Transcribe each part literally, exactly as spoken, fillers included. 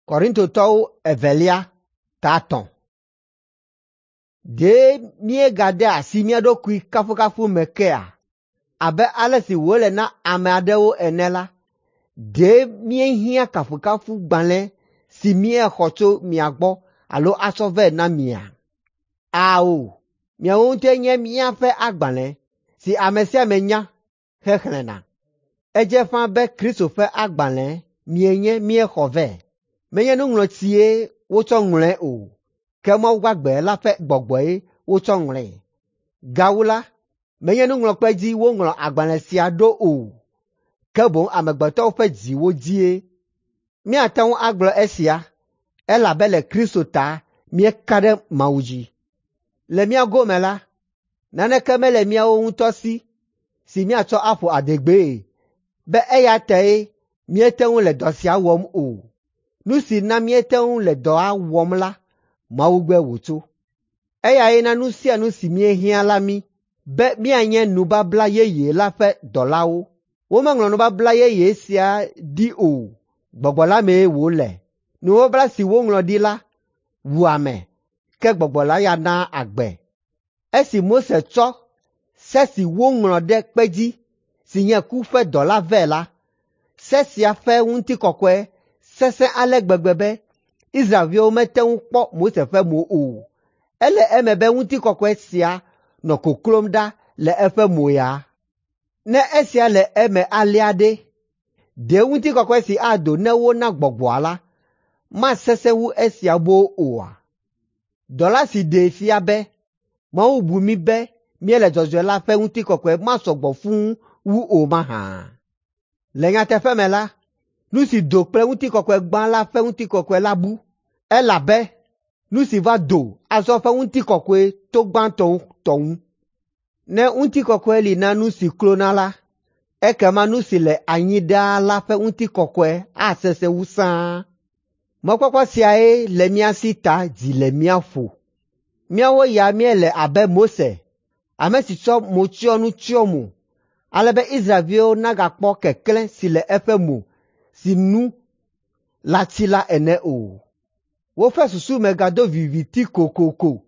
Korintotɔwo evelia ta etɔ̃. Ɖe míegade asi mía ɖokui kafukafu me kea? Abe ale si wòle na ame aɖewo ene la, ɖe míehiã kafukafugbalẽ si míexɔ tso mia gbɔ alo atsɔ vɛ na mia? Ao, miawo ŋutɔe nye míaƒe agbalẽ si ame sia ame nya hexlẽna. Edze ƒãa be Kristo ƒe agbalẽ mienye míexɔ vɛ. Menye nuŋlɔtsie wotsɔ ŋlɔe o, ke Mawu gbagbe la ƒe gbɔgbɔe wotsɔ ŋlɔe. Gawu la, menye nuŋlɔkpe dzi woŋlɔ agbalẽ sia ɖo o, ke boŋ amegbetɔwo ƒe dziwo dzie. Míate ŋu agblɔ esia, elabe le Kristo ta míeka ɖe Mawu dzi. Le mía gome la, naneke mele míawo ŋutɔ si si míatsɔ aƒo adegbee be eya tae míete ŋu le dɔ sia wɔm o. Nu si na míete ŋu le dɔa wɔm la, Mawu gbɔe wòtso. Eyae na nu sia nu si míehiã la mí be míanye nubabla yeye la ƒe dɔlawo. Womeŋlɔ nubabla yeye sia ɖi o, Gbɔgbɔ la mee wòle. Nubabla si woŋlɔ ɖi la wua ame, ke Gbɔgbɔ la ya naa agbe. Esi Mose tsɔ se si woŋlɔ ɖe kpe dzi si nye ku ƒe dɔ la vɛ la, se sia ƒe ŋutikɔkɔe sesẽ ale gbegbe be Israelviwo mete ŋu kpɔ Mose ƒe mo o. Ele eme be ŋutikɔkɔe sia nɔ koklom ɖa le eƒe mo ya. Ne esia le eme alea ɖe, ɖe ŋutikɔkɔe si ado ne wona gbɔgbɔa la masesẽ wu esia boo oa? Dɔla si ɖee fia be Mawu bu mí be míele dzɔdzɔe la ƒe ŋutikɔkɔe masɔ gbɔ fũu wu o mahã? Le nyateƒe me la, nu si do kple ŋutikɔkɔe gbã la ƒe ŋutikɔkɔe la bu, elabe nu si va do azɔ ƒe ŋutikɔkɔe to gbãtɔ tɔ ŋu. Ne ŋutikɔkɔe li na nu si klona la, ekema nu si le anyi ɖaa la ƒe ŋutikɔkɔe asesẽ wu sãa. Mɔkpɔkpɔ siae le mía si ta dzi le mía ƒo. Míawo ya míele abe Mose, ame si tsɔ motsyɔnu tsyɔ mo, ale be Israelviwo nagakpɔ keklẽ si le eƒe mo si nu la tsi la ene o. Woƒe susu me gado viviti kokoko,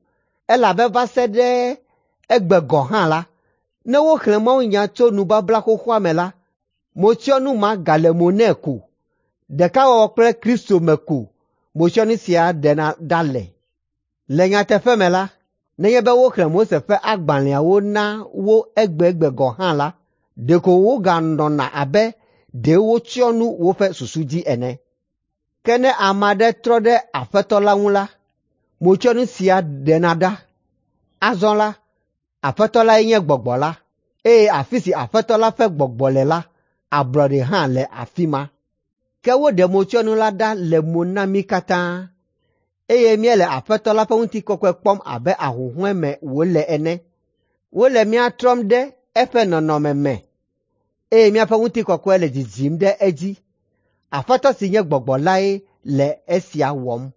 elabe va se ɖe egbe gɔ̃ hã la, ne woxlẽ mawunya tso nubabla xoxoa me la, motsyɔnu ma gale mo nɛ ko. Ɖekawɔwɔ kple Kristo me ko motsyɔnu sia ɖena ɖa le. Le nyateƒe me la, nenye be woxlẽ Mose ƒe agbalẽawo na wo egbegbe gɔ̃ hã la, ɖeko woganɔna abe ɖe wotsyɔ nu woƒe susu dzi ene. Ke ne ame aɖe trɔ ɖe Aƒetɔ la ŋu la, motsyɔnu sia ɖena ɖa. Azɔ la, Aƒetɔ lae nye Gbɔgbɔ la, eye afi si Aƒetɔ la ƒe Gbɔgbɔ le la, ablɔɖe hã le afi ma. Ke woɖe motsyɔnu la ɖa le mo na mí katã, eye míele Aƒetɔ la ƒe ŋutikɔkɔe kpɔm abe ahuhɔ̃e me wòle ene. Wole mía trɔm ɖe eƒe nɔnɔme me, eye míaƒe ŋutikɔkɔe le dzidzim ɖe edzi. Aƒetɔ si nye Gbɔgbɔ lae le esia wɔm.